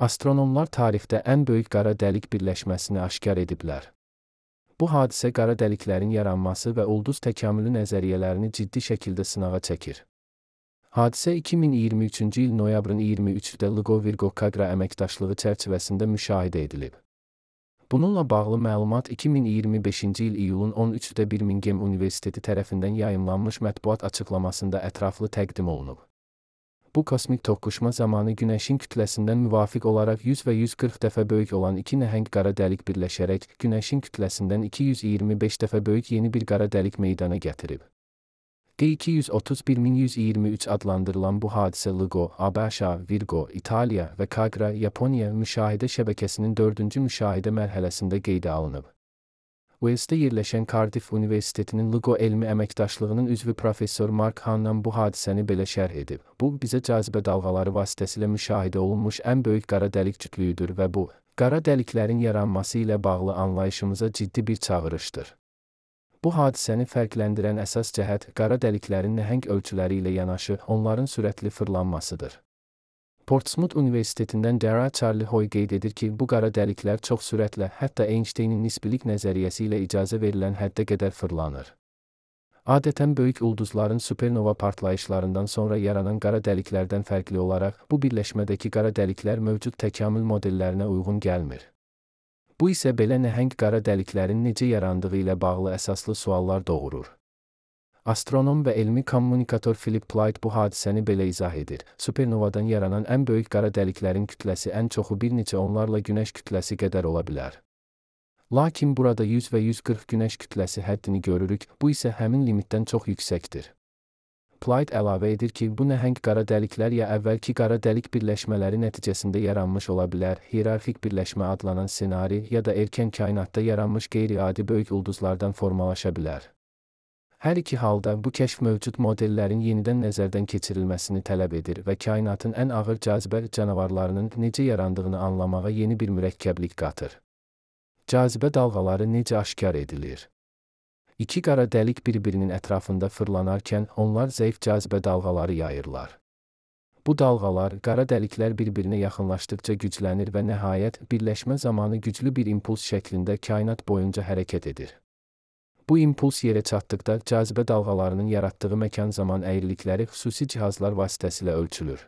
Astronomlar tarixdə ən böyük qara dəlik birləşməsini aşkar ediblər. Bu hadisə qara dəliklərin yaranması və ulduz təkamülü nəzəriyyələrini ciddi şəkildə sınağa çəkir. Hadisə 2023-cü il noyabrın 23-də LIGO-Virgo-Kagra əməkdaşlığı çərçivəsində müşahidə edilib. Bununla bağlı məlumat 2025-ci il iyulun 13-də Birmingham Universiteti tərəfindən yayımlanmış mətbuat açıqlamasında ətraflı təqdim olunub. Bu kosmik toqquşma zamanı Günəşin kütləsindən müvafiq olaraq 100 və 140 dəfə böyük olan iki nəhəng qara dəlik birləşərək Günəşin kütləsindən 225 dəfə böyük yeni bir qara dəlik meydana gətirib. G231.123 adlandırılan bu hadisə LIGO, ABŞ, Virgo, İtaliya və Kagra, Yaponiya müşahidə şəbəkəsinin 4-cü müşahidə mərhələsində qeydə alınıb. Walesdə yerləşən Cardiff Universitetinin LIGO elmi əməkdaşlığının üzvü professor Mark Hannan bu hadisəni belə şərh edib. Bu, bizə cazibə dalğaları vasitəsilə müşahidə olunmuş ən böyük qara dəlik cütlüyüdür və bu, qara dəliklərin yaranması ilə bağlı anlayışımıza ciddi bir çağırışdır. Bu hadisəni fərqləndirən əsas cəhət qara dəliklərin nəhəng ölçüləri ilə yanaşı onların sürətli fırlanmasıdır. Portsmouth Universitetindən Dara Charlie Hoy qeyd edir ki, bu qara dəliklər çox sürətlə, hətta Einsteynin nisbilik nəzəriyyəsi ilə icazə verilən həddə qədər fırlanır. Adətən böyük ulduzların supernova partlayışlarından sonra yaranan qara dəliklərdən fərqli olaraq, bu birləşmədəki qara dəliklər mövcud təkamül modellərinə uyğun gəlmir. Bu isə belə nəhəng qara dəliklərin necə yarandığı ilə bağlı əsaslı suallar doğurur. Astronom və elmi kommunikator Philip Plaid bu hadisəni belə izah edir. Supernovadan yaranan ən böyük qara dəliklərin kütləsi ən çoxu bir neçə onlarla Günəş kütləsi qədər ola bilər. Lakin burada 100 və 140 Günəş kütləsi həddini görürük, bu isə həmin limitdən çox yüksəkdir. Plaid əlavə edir ki, bu nəhəng qara dəliklər ya əvvəlki qara dəlik birləşmələri nəticəsində yaranmış ola bilər, hiyerarxik birləşmə adlanan ssenari, ya da erkən kainatda yaranmış qeyri-adi böyük ulduzlardan formalaşa bilər. Hər iki halda bu kəşf mövcud modellərin yenidən nəzərdən keçirilməsini tələb edir və kainatın ən ağır cazibə canavarlarının necə yarandığını anlamağa yeni bir mürəkkəblik qatır. Cazibə dalğaları necə aşkar edilir? İki qara dəlik bir-birinin ətrafında fırlanarkən onlar zəif cazibə dalğaları yayırlar. Bu dalğalar, qara dəliklər bir-birinə yaxınlaşdıqca güclənir və nəhayət, birləşmə zamanı güclü bir impuls şəklində kainat boyunca hərəkət edir. Bu impuls yerə çatdıqda cazibə dalğalarının yaratdığı məkan-zaman əyrilikləri xüsusi cihazlar vasitəsilə ölçülür.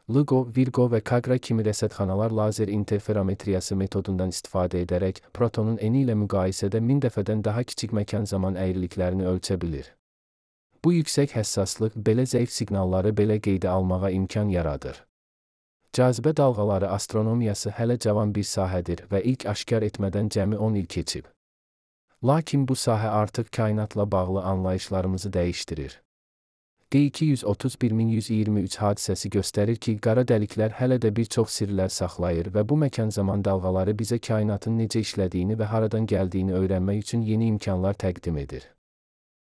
LIGO, Virgo və Kagra kimi rəsədxanalar lazer interferometriyası metodundan istifadə edərək protonun eni ilə müqayisədə 1000 dəfədən daha kiçik məkan-zaman əyriliklərini ölçə bilir. Bu yüksək həssaslıq belə zəif siqnalları belə qeydə almağa imkan yaradır. Cazibə dalğaları astronomiyası hələ cavan bir sahədir və ilk aşkar etmədən cəmi 10 il keçib. Lakin bu sahə artıq kainatla bağlı anlayışlarımızı dəyişdirir. G231.123 hadisəsi göstərir ki, qara dəliklər hələ də bir çox sirlər saxlayır və bu məkan-zaman dalğaları bizə kainatın necə işlədiyini və haradan gəldiyini öyrənmək üçün yeni imkanlar təqdim edir.